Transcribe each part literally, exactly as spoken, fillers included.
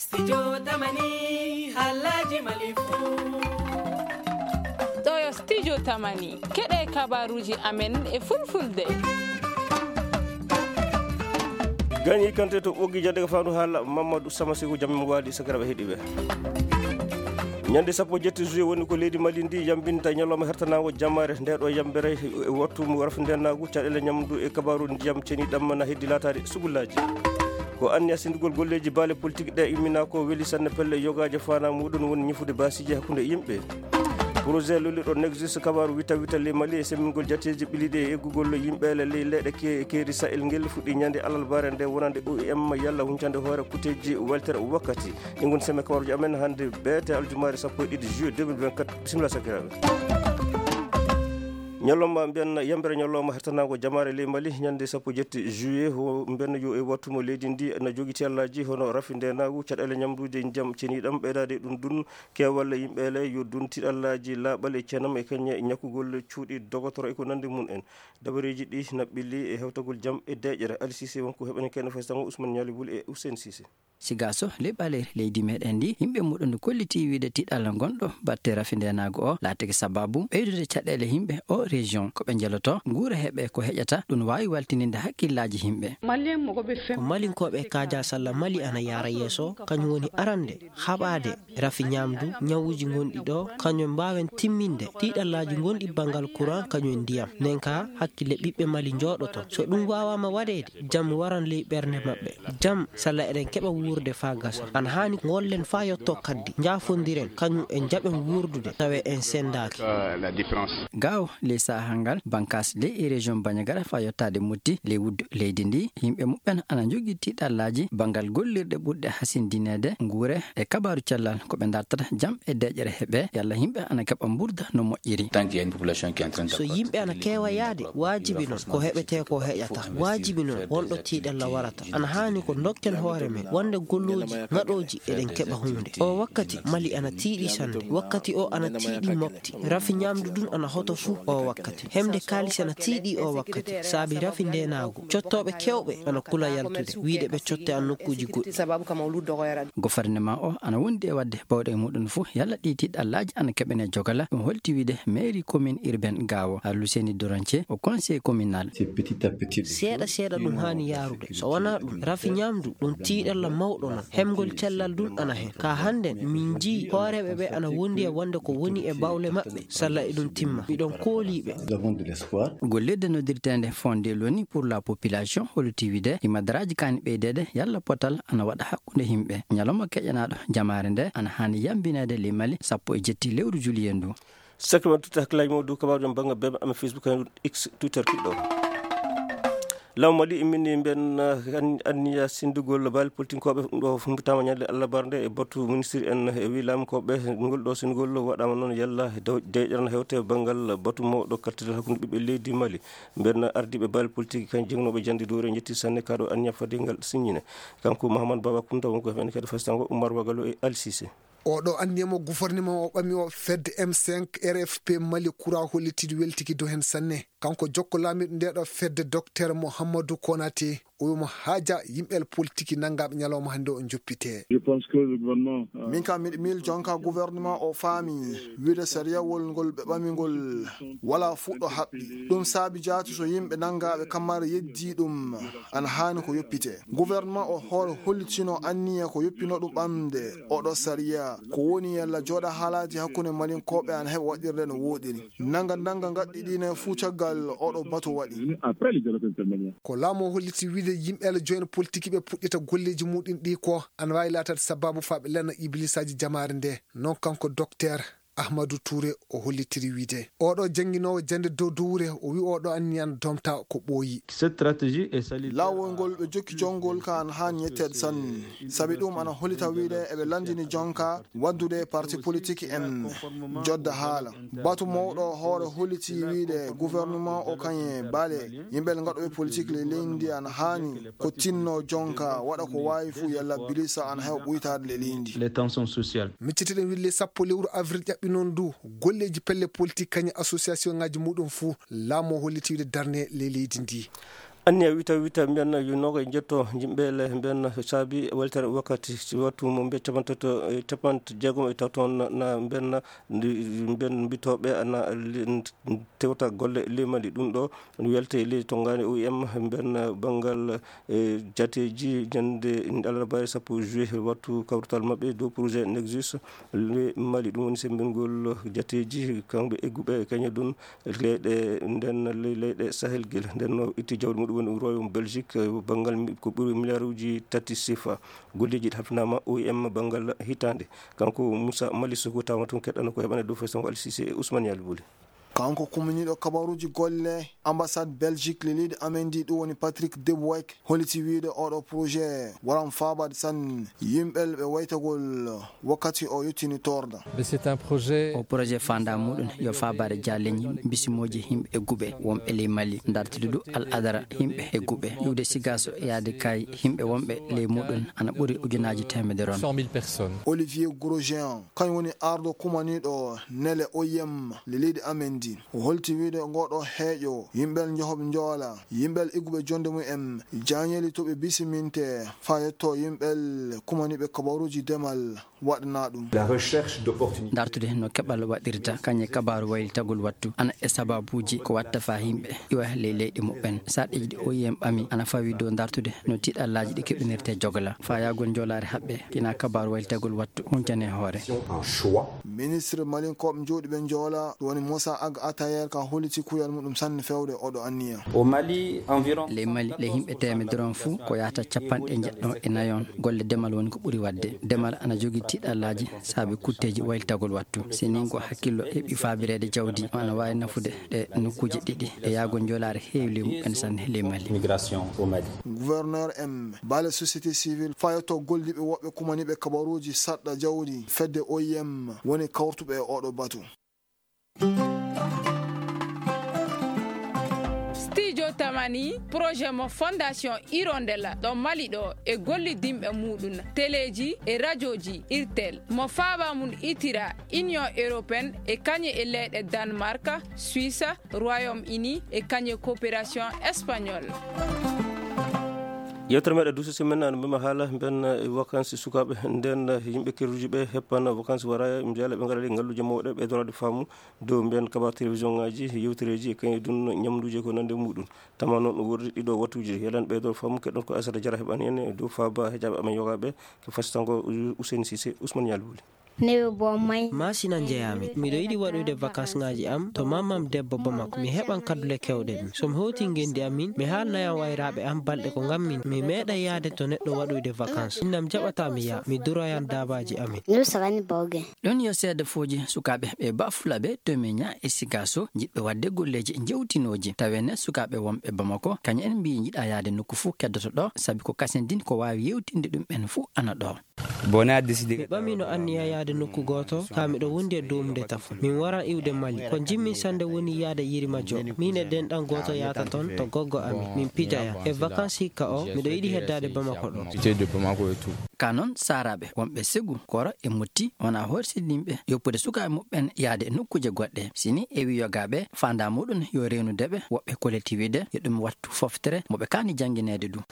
Studio Tamani, haalaaji Mali fuu. Ɗo yo Studio Tamani, keɗe kabaaruuji amen e fulfulde. Gañi kante to ɓoggi jannde ko faandu haala Mamadou Sama Seku, jam mo waali sakiraaɓe heɗiiɓe. Ñande sappo jetti juillet woni ko leydi Mali ndi yambinta ñalawma hertanaango jamaare. Nde ɗo yambere e wattu mo rafindeenaagu, caɗeele ñamdu e kabaaru ndiyam ceniɗam na heddi laataade sugullaaji. Ko anniya sendugol golleeji baale politique ɗe immina ko weli sanne pelle yogaaje faana muɗum woni ñifude baasiiji hakkunde yimɓe. Projet lolliɗo Nexus kabaaru wita wita ley Mali e semmingol jateeji ɓiliɗe e eggugol yimɓe ley leyɗe ke-, keeri Sahel ngel fuɗɗi ñande alarbaare nde wonande O I M yalla huncande hoore kuteeji weltere wakkati. Ɗi ngoni semme kabaruuji amen hannde beete aljumaare sappo e ɗiɗi juillet deux mille vingt-quatre. Bisimilla sakiraaɓe. Ñalawma mbiyen yambere ñalawma hertanaango jamaare ley Mali ñande sappo jetti juillet, o mbiyen yo e wattu mo leydi ndi na jogi tiyallaaji hono rafindeenaagu, caɗeele ñamduuji, ndiyam ceniɗam, ɓeydaade ɗum dun keewal yimɓe le yo dun tiɗallaaji laaɓal e cenam e kañe ñakkugol cuuɗi dogotoro e ko nandi mum en. Dabareeji ɗi na ɓilli e hewtagol jam e deeƴere. Ali Cissé wonko heɓani kene faysango Ousmane Ñaali Wul e Hussein Cissé. Sigaso, leɓɓaleeri leydi meɗen ndi, yimɓe muɗum no kolliti wiide tiɗalla ngonɗo batte rafindeenaagu o laatike sababu ɓeydude caɗeele yimɓe o région. Ko ɓe njeloto nguura heɓe ko heƴata, ɗum waawi waltininde hakkillaaji yimɓe. Ko Malinkooɓe e Kaja Salla Mali ana yaara yeeso, kañum woni arande haɓaade rafi ñaamdu, ñawuuji ngonɗi ɗo, kañum mbaawen timminde tiɗallaaji ngonɗi banngal courant, kañum e ndiyam. Nden ka hakkille ɓiɓɓe Mali njooɗoto. So ɗum waawaama waɗeede, jam waran ley ɓernde maɓɓe. Jam, salla eɗen keɓa wuurde faa gasa. Ana haani ngollen faa yotto kaddi. Njaafondiren, kañum e njaɓen wuurdude, tawe en senndaaki. Gaawo, ley sahaa ngal, bankaas ley e région Bandiagara faa yottaade Motti, ley wuddu leydi ndi, yimɓe muɓɓen ana njogii tiɗallaaji banngal gollirɗe ɓurɗe hasindineede nguure e kabaaru cellal, ko ɓe dartata jam e deeƴere heɓe, yalla yimɓe ana keɓa mburda no moƴƴiri. Tant qu'il y a une population qui est en train de... So yimɓe ana keewa yaade, waajibi non ko heɓetee ko heƴata. Waajibi non wonɗo tiiɗalla warata. Ana haani ko ndokken hoore men, wonde gollooji, ngaɗooji, eɗen keɓa huunde. O wakkati, Mali ana tiiɗi sannde. Wakkati o ana tiiɗi mofti. Rafi ñaamdu ndun ana hoto fuu o wakkati. Hemde kaalis ana tiiɗi o wakkati. Saabi rafi ndeenaagu. Cottooɓe keewɓe ana kula yaltude, wiide ɓe cotte an nokkuuji goɗɗi. Gouvernement o ana wondi e waɗde bawɗe muɗum fuu, yalla ɗi tiɗallaaji ana keɓene jogala. Ɗum holti wiide mairie commune urbaine Gaawo, Aluseni Doranche, o conseil communal. Seeɗa seeɗa ɗum haani yaarude. So wonaa ɗum, rafi ñaamdu, ɗum tiiɗalla mawɗo non. Hemgol cellal ɗum ana hen. Ka hannden, min njii hooreeɓe ɓe ana wondi e wonde ko woni e bawle maɓɓe, salla eɗum timma. Miɗon koolii ɓe. Gollirde noddirteende Fonde Loni pour la Population, holti wiide, hima daraaji kaani ɓeydeede, yalla potal ana waɗa hakkunde yimɓe. Ñalawma keƴanaaɗo jamaare nde ana haani yambineede ley Mali sappo e jetti lewru juillet ndu. Sakiraaɓe, totti hakkillaaji mon dow kabaaruuji am bannga bebe am e Facebook, e X, Twitter, kiɗɗo. Laamu Mali immini mben, eh, an-, anniya sendugol baale politinkooɓe, ɗum ɗo humpitaama ñande alarbaare nde e batu ministre en, e wi laamukooɓe, ngol ɗo sendugol waɗaama noon yalla dew-, deeƴere na hewte banngal batu mawɗo kaltital hakkunde ɓiɓɓe leydi Mali. Mben ardiiɓe baale politik kan jeŋnooɓe jannde dow re njetti sanne kaɗo anniya fade ngal siññine. Kanko Mahamad Baba Kunta wonko heɓen kadi fastango Umar Wagalo e Ali Cissé. Oɗo anniya mo gouvernement o ɓami o fedde M cinq R F P Mali Kura hollitidi weltiki dow hen sanne. Kanko jokko laamiɗo nde ɗo fedde Docteur Mohamadou Konaté, o wimo haaja yimɓe politiki nanngaɓe ñalawma hannde o joppite. Je pense que le gouvernement, euh, min kam miɗo miil jonka gouvernement o faami wiide sariyawol ngol ɓe ɓami ngol wala fuɗɗo haɓɓi. Ɗum saabi jaati so yimɓe nanngaɓe kammara yeddi ɗum ana haani ko yoppite. Gouvernement o hoore hollitino anniya ko yoppino ɗum ɓamde oɗo sariya. Ko woni yalla jooɗa haalaaji hakkunde Malinkooɓe ana heɓa waɗirde no wooɗiri. Nanga nanga ngaɗɗi ɗine fuu caggal oɗo batu waɗi. Ko laamu o holliti wiide yimɓe ala joyen politique ɓe puɗɗita golleeji muɗum ɗi ko ana waawi laataade sababu faa ɓe lanna ibliisaaji jamaare nde. Non kanko Docteur Ahmadou Touré o hollitiri wiide. Oɗo jannginoowo jannde dow dowre, o wi oɗo anniya ana domta ko ɓooyi. Cette stratégie est salutaire. Laawol ngol ɓe jokki jonngol ka ana haani ñetteede sanne. Sabi ɗum ana hollita wiide eɓe lanndini jonka waddude parti politique en jodda haala. Batu mawɗo hoore holliti wiide gouvernement o kañe baale yimɓe ngaɗooɓe politique le leydi ana haani ko tinno jonka waɗa ko waawi fuu yalla bilisa ana heɓa ɓuytaade le leydi. Les tensions sociales. Miccitiɗen wille sappo lewru avril ƴaɓɓi noon du golleeji pelle politique kañe association ngaji muɗum fuu laamu o holliti wiide darne le leydi ndi. Anniya wita wita mbiyanna yo noga e jetto jimɓele mbiyanna saabi weltere wakkati si wattu mo mbiya capantato e capantajeegom e taw toon na mbiyanna mbiyan mbitooɓe ana tewta golle limali ɗum ɗo welte leydi tongani o m mbiyanna banngal e jateji ñande alarbaare sappo juillet wattu kawrutal maɓɓe dow projet nexus limali ɗum woni semmbingol jateji kamɓe egguɓe kañe ɗum leyɗe nden ley- leyɗe sahel gila nden no itti jawdi muɗum woni royaume belgique banngal mi- ko ɓuri milliard uji tati sifa golleji ɗi hafnama o m banngal hitande kanko moussa mali sogo tawma tun keɗɗano ko heɓane dow fesango alsisi e ousmane yalbuli. Kanko kuminiɗo kabaruji golle ambassade belgique le leydi amen ndi ɗum woni patrick debouek holiti wiide oɗo projet waran fabade san yimɓel ɓe waytagol wakkati o yettini torda. Mais c'est un projet. O projet fanda muɗum yo fabare jaleñi bisimooji yimɓe egguɓe wonɓe ley mali dartude ɗum al adara yimɓe egguɓe iwde sigaso yaade kay yimɓe wonɓe ley muɗum ana ɓuri ujunaji temedere on. Cent mille personnes. Olivier Grosjean kañum woni arɗo kumaniɗo nele oyem le leydi amen ndi o holti wiide ngoɗo heeƴo yimɓel johoɓe joola yimɓel igguɓe jonde mum en jañeli to ɓe bisiminte fa yetto yimɓel kumaniɓe kabaruji demal waɗana ɗum. La recherche d'opportunité. Dartude no keɓal waɗirta kañe kabaaru waylitagol wattu ana e sababuuji ko watta fa yimɓe iwa ley leyɗe muɓɓen saɗeji ɗi oyem ɓami ana fawi dow dartude no tiɗallaaji ɗi keɓinirte jogla fayagol jolaare haɓɓe kina kabaaru waylitagol wattu huncane hoore. Un choix. Ministre malinkoɓe jooɗiɓe joola ɗum woni moussa ag atayer ka holiti kuyal muɗum sanne fewde oɗo anniya. Au Mali, environ. Ley mali ley yimɓe temedere on fuu ko yahata capanɗe jeɗɗo e nayon golle demal woni ko ɓuri waɗde demal ana jogii tiɗallaaji saabi kutteeji waylitagol wattu si nii ko hakkillo heɓi faabireede jawdi o ana waawi nafude ɗe nokkuuje ɗiɗi e yahgol jolaare heewi ley muɓɓen sanne ley mali. Migration au Mali. Gouverneur m baale société civile fayotto golliɓe woɓɓe kumaniɓe kabaruuji saɗɗa jawdi fedde oim woni kawrutuɓe e oɗo batu. Studio Tamani, projet mo Fondation Hirondelle ɗo Mali ɗo e gollidinɓe muɗum, teleji e rajoji, irtel, mo faaba mum itira Union Européenne e kañe e leyɗe Danemark, Suisse, Royaume Uni e kañe coopération espagnole. Yewtere meɗen duuso simen ana mbima haala mben vacances sukaaɓe nden yimɓe kerruji ɓe heppana vacances wara mbiyala ɓe ngara ɗi ngalluji mawɗe ɓe dorade faamu dow mbiyan kabar télévision ngaji yewtereji e kañum ɗum ñamduji ko nande muɗum tama noon ɗum wordi ɗiɗo wattuji yelan ɓeydo faamu keɗon ko asata jara heɓani en e dow faaba heƴaɓe amen yogaɓe ko fasitango Ousseyne Cissé Ousmane Yalwuli. Newe bo may. Masina njeyaami. Miɗo yiɗi waɗude vacances ngaji am to mammam debbo Bamako. Mi heɓan kaddule kewɗe ɗum. So mi hoti ngendi amin, mi haalnayan wayraɓe am balɗe ko ngammin. Mi meeɗa yaade to neɗɗo waɗuyde vacances. Innam jaɓata mi yaa. Mi duroyan dabaji amin. Ɗum yo seedefoji sukaaɓe ɓe bafulaɓe to miña e sigaso jiɗɓe waɗde golleji jewtinoji tawene sukaaɓe wonɓe Bamako kañum en mbi jiɗa yaade nokku fuu keddoto ɗo sabi ko kasen din ko wawi yewtinde ɗum en fuu ana ɗo. Mi ɓamino anniya yaade nokku gooto, kaa miɗo wondi e duumde tafo. Min waran iwde Mali. Ko njimmin sannde woni yaade Yirima Joop. Min e denɗan gooto yahata ton to goggo amin. Min pijaya. E vacances hikka o, miɗo yiɗi heddaade Bamako ɗo. Ka noon saaraaɓe wonɓe Segu, Koro e Motti wona horsindinɓe yoppude sukaaɓe muɓɓen yaade e nokkuuje goɗɗe. Sini e wi yogaaɓe faandaa muɗum yo reenude ɓe woɓɓe koletiwiide yo ɗum wattu foftere mo ɓe kaani janngineede ɗum.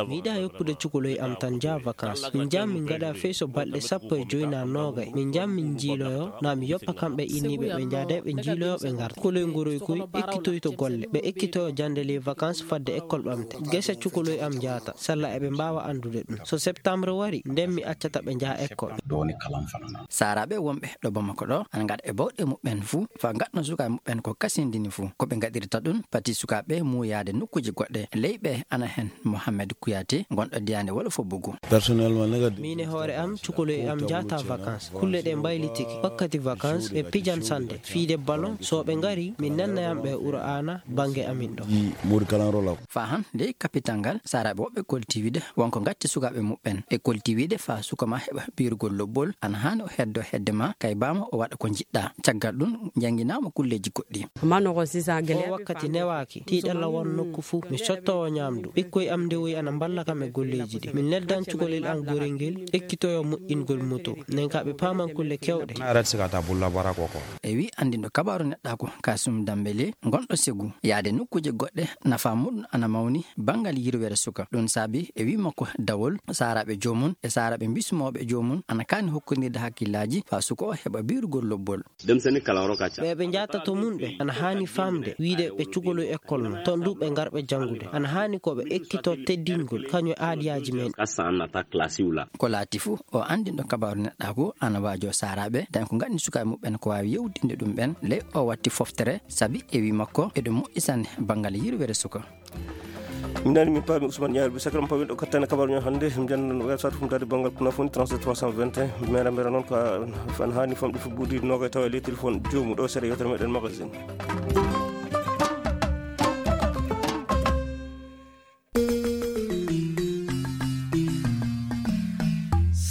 Mi yiɗaa yoppude cukoloy am tan njaha vacances. Min njaha min ngaɗa fey so balɗe sappo e joy naa noogay. Min njaha min njiiloyo naa mi yoppa kamɓe inniiɓe ɓe njaada ɓe njiiloyo ɓe ngarta. Cukoloy nguroy koy ekkitoyto golle. Ɓe ekkitoyo jannde ley vacances fadde école ɓamte. Gese cukoloy am njahata. Salla eɓe mbaawa anndude ɗum. So septembre wari, nden mi accata ɓe njaha école. Saaraaɓe wonɓe ɗo Bamako ɗo ana ngaɗa e bawɗe muɓɓen fuu faa ngaɗno sukaaɓe muɓɓen ko kasindini fuu. Ko ɓe ngaɗirta ɗum pati sukaaɓe muuyaade nokkuuje goɗɗe. Ley ɓe ana heen Mohamed Kouyaté gonɗo diyaande Wolofo Bugu. Miin e hoore am cukoloy am njahata vacances. Kulle ɗe mbaylitike. Wakkati vacances ɓe pijan sannde. Fiide ballon so ɓe ngari min nannayam ɓe Qur'aana bannge amin ɗo. Faa han ley kapital ngal saaraaɓe woɓɓe koltiwiide wonko ngatti sukaaɓe muɓɓen. E kolti wiide faa suka ma heɓa biirugol lobbol, ana haani o heddo hedde ma, kay baama o waɗa ko njiɗɗa. Caggal ɗum, njannginaama kulleeji goɗɗi. O wakkati newaaki, tiiɗalla won nokku fuu. Mi sottoowo ñaamdu. Ɓikkoy am ndewoyi ana mballa kam e golleeji ɗi. Mi neldan cukalel am gorel ngel, ekkitoyo moƴƴingol moto. Nden ka ɓe paaman kulle keewɗe. E wi anndinɗo kabaaru neɗɗaaku Kasum Dambele, gonɗo Segu, yaade nokkuuje goɗɗe, nafa muɗum ana mawni banngal yirwere suka. Ɗum saabi e wi makko dawol, saaraaɓe joomum e saaraaɓe bismooɓe joomum ana kaani hokkondirde hakkillaaji faa suka o heɓa biirugol lobbol. Ɓe ɓe njahata to mum ɓe ana haani faamde wiide ɓe cukaloy ekkol non, toon du ɓe ngar ɓe janngude. Ana haani ko ɓe ekkito teddingol kañum e aadiyaaji men. Ko laati fuu, o anndinɗo kabaaru neɗɗaaku ana waajoo saaraaɓe, tawi ko ngaɗni sukaaɓe muɓɓen ko waawi yewtinde ɗum ɓen. Ley o watti foftere, sabi e wi makko, eɗum moƴƴi sanne banngal yirwere suka. Min nani min paami Ousmane Niang, bi sakram paami ɗo kattane kabaru ñoo hannde, min janno no website fum dadi banngal kuna foni trente-sept trois cent vingt et un, mera mera noon ko an haani famɗi fu buuɗi noga tawa e ley téléphone joomu ɗo seeɗa yewtere meɗen magazine.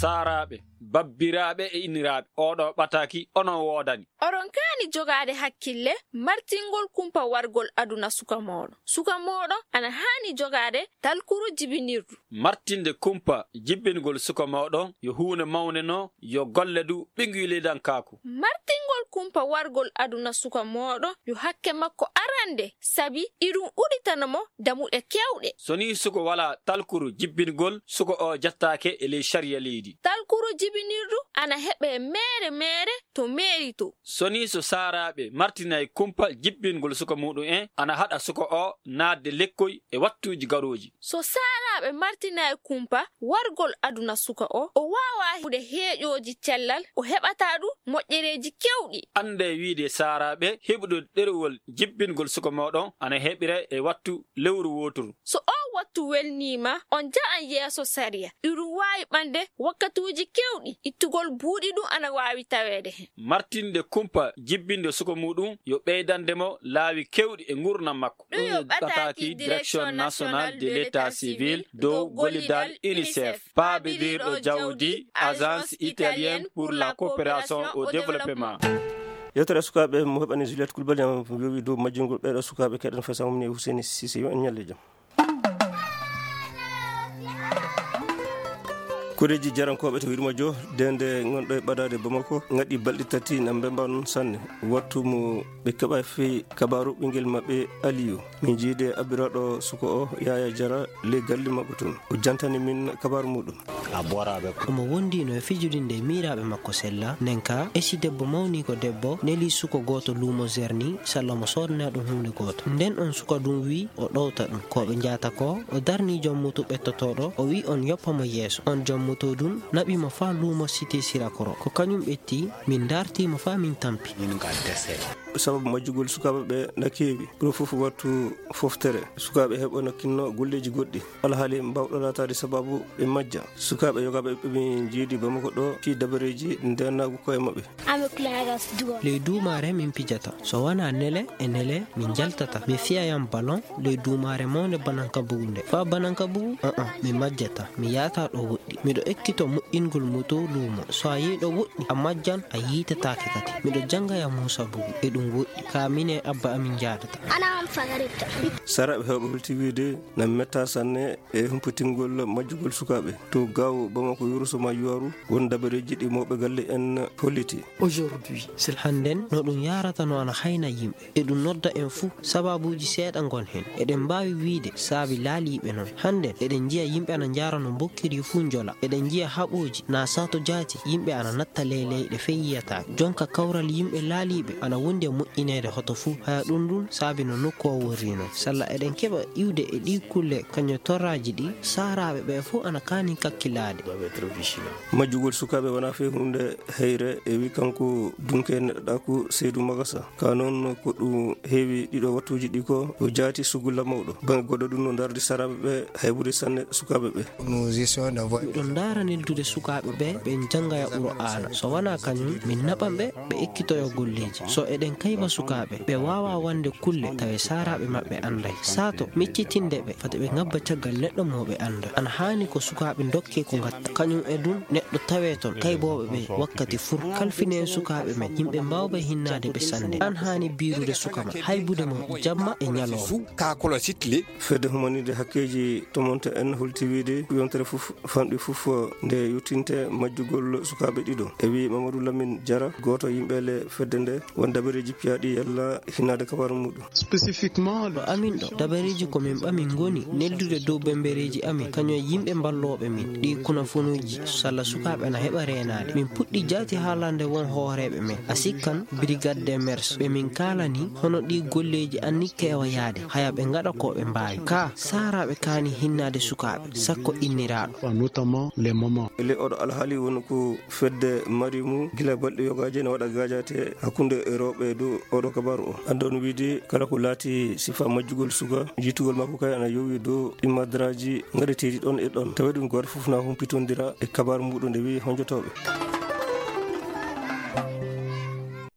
Saaraaɓe, babbiraaɓe e inniraaɓe, oɗo ɓataaki onon woodani. Oɗon kaani jogaade hakkille martingol kumpa wargol aduna suka mooɗon. Suka mooɗon ana haani jogaade talkuru jibinirdu. Martinde kumpa jibbingol suka mooɗon yo huunde mawnde no yo golle du ɓiŋnguylidankaaku. Martingol kumpa wargol aduna suka mooɗon yo hakke makko arande, sabi iɗum udditana mo damuɗe keewɗe. So nii suka walaa talkuru jibbingol, suka o jattaake e ley sariya leydi. Talkuru jibinirdu ana heɓee meere meere to meeri to. So nii so saaraaɓe martinay kumpa jibbingol suka muɗum en, ana haɗa suka o naatde lekkoy e wattuuji garooji. So saaraaɓe martinay kumpa wargol aduna suka o, o waawaa heɓude heeƴooji cellal, o heɓataa du moƴƴereeji keewɗi. Anndee wiide saaraaɓe heɓude ɗerewol jibbingol suka mooɗon ana heɓira e wattu lewru wooturu. So oo wattu welniima, on nja'an yeeso sariya. Iɗum waawi ɓande wakkatuuji keewɗi, ittugol buuɗi ɗum ana waawi taweede hen. Martinde kumpa jibbinde suka muɗum yo ɓeydande mo laawi keewɗi e nguurndam makko. Ɗum yo ɓataaki Direction Nationale de l'État Civil dow gollidal UNICEF, paabirirɗo jawdi Agence Italienne pour la Coopération au Développement. Yewtere sukaaɓe mo heɓani Juliette Coulibaly, am yowi dow majjingol ɓeeɗo sukaaɓe keɗen fesa mum ni Hussein Cissé, yo en ñalle jam. Koreeji jarankooɓe to Wirmajo, dende ngonɗo e ɓadaade Bamako, ngaɗi balɗe tati na mbemba noon sanne. Wattu mo ɓe keɓa fii kabaaru ɓingel maɓɓe Aliyu. Min jiide abbiraaɗo suko o, Yaya Jara, ley galli makko tun. O jantani min kabaaru muɗum. Omo wondino e fijudinde e miiraaɓe makko sella. Nden ka, esi debbo mawni ko debbo, neli suko gooto luumo Zerni, salla mo soodana ɗum huunde gooto. Nden on suka ɗum wi, o ɗowta ɗum. Ko ɓe njata ko, o darni jom moto ɓettotooɗo, o wi on yoppa mo yeeso. On jom moto ɗum naɓi mo faa luumo Cité Sirakoro. Ko kañum ɓetti, min darti mo faa min tampi. Sababu majjugol sukaaɓe ɓe na keewi. Ɗum fof wattu foftere. Sukaaɓe heɓa no kinno golleeji goɗɗi. Alhaali mbawɗo laataade sababu ɓe majja. Sukaaɓe yogaaɓe ɓe min jiidi Bamako ɗo fii dabareeji ndeenaagu koye maɓɓe. Ley duumaare min pijata. So wanaa nele e nele min njaltata. Mi fiya yam balon ley duumaare mawnde Bananka Bugu nde. Faa Bananka Bugu? Aa, mi majjata. Mi yaata ɗo woɗɗi. Miɗo ekkito moƴƴingol moto luumo. So a yehi ɗo woɗɗi, a majjan, a yiitataake kadi. Miɗo jannga ya Muusa Bugu. E ɗum woɗɗi. Ka min e abba amin njaadata. Saraaɓe heewɓe holti wiide na metta sanne e humpitingol majjugol sukaaɓe to Gaawo, Bamako, Yoroso ma Yuwaru, won dabareeji ɗi mawɓe galle en holliti. Aujourd'hui, c'est hannden no ɗum yaarata no ana hayna yimɓe. E ɗum nodda en fuu, sababuuji seeɗa ngon heen. Eɗen mbaawi wiyde saabi laaliiɓe noon. Hannden, eɗen njiya yimɓe ana njaara no mbokkiri fuu njola. Eɗen njiya haɓooji, na sato jaati, yimɓe ana natta ley leyɗe fey yiyataake. Jonka kawral yimɓe laaliiɓe ana wondi e moƴƴineede hoto fuu. Haya ɗum ɗum saabi no nokku o worri noon. Salla eɗen keɓa iwde e ɗii kulle kañum torraaji ɗi, saaraaɓe ɓe fuu ana kaani kakkilaade. Majjugol sukaaɓe wonaa fii huunde heyre, e wi kanko Dunke Neɗɗaaku Seydu Magasa. Ka noon ko ɗum heewi ɗiɗo wattuuji ɗi ko, o jaati sugulla mawɗo. Baŋnge goɗɗo ɗum no ndardi saraaɓe ɓe, haybude sanne sukaaɓe ɓe. Miɗo Ndaara neldude sukaaɓe ɓe ɓe njannga e Qur'aana. So wanaa kañum, min naɓan ɓe, ɓe ekkitoyo golleeji. So eɗen kayba sukaaɓe, ɓe waawa wande kulle tawe saaraaɓe maɓɓe annday. Saato miccitinde ɓe, fade ɓe ngabba caggal neɗɗo mo ɓe annda. Ana haani ko sukaaɓe ndokke ko ngatta. Kañum e ɗum, neɗɗo tawee toon, kaybooɓe ɓe wakkati fur. Kalfinen sukaaɓe men, yimɓe mbaawɓe hinnaade ɓe sannde. An haani biirude suka ma, haybude mo jamma e ñalawma. Fedde humanide hakkeeji tomonte en holti wiide ko yontere fof fanɗi fof nde yuttinte majjugol sukaaɓe ɗiɗo. E wi Mamadou Lamine Diarra, gooto yimɓe le fedde nde, won dabareeji piyaaɗi yalla hinnaade kabaru muɗum. Spécifiquement, ɗo amin ɗo, dabareeji ko min ɓami ngoni neldude dow bembereeji amin, kañum e yimɓe mballooɓe min, ɗi kunafunuuji, salla sukaaɓe ana heɓa reenaade. Min puɗɗi jaati haalande won hooreeɓe men. A sikkan, Brigade des Mœurs, ɓe min kaalani hono ɗi golleeji anni keewa yaade, haya ɓe ngaɗa ko ɓe mbaawi. Ka, saaraaɓe kaani hinnaade sukaaɓe, sakko inniraaɗo. Notamment les mamans. E ley oɗo alhaali woni ko fedde mari mu gila balɗe yogaaji ene waɗa gaajaate hakkunde rewɓe e dow oɗo kabaru o. Anndon wiide kala ko laati sifa majjugol suka, jiitugol makko kay ana yowi dow ɗi madraji ngaɗeteeɗi ɗon e ɗon. Tawi ɗum gooto fof na humpitondira e kabaru muɗum nde wi'i honjotooɓe.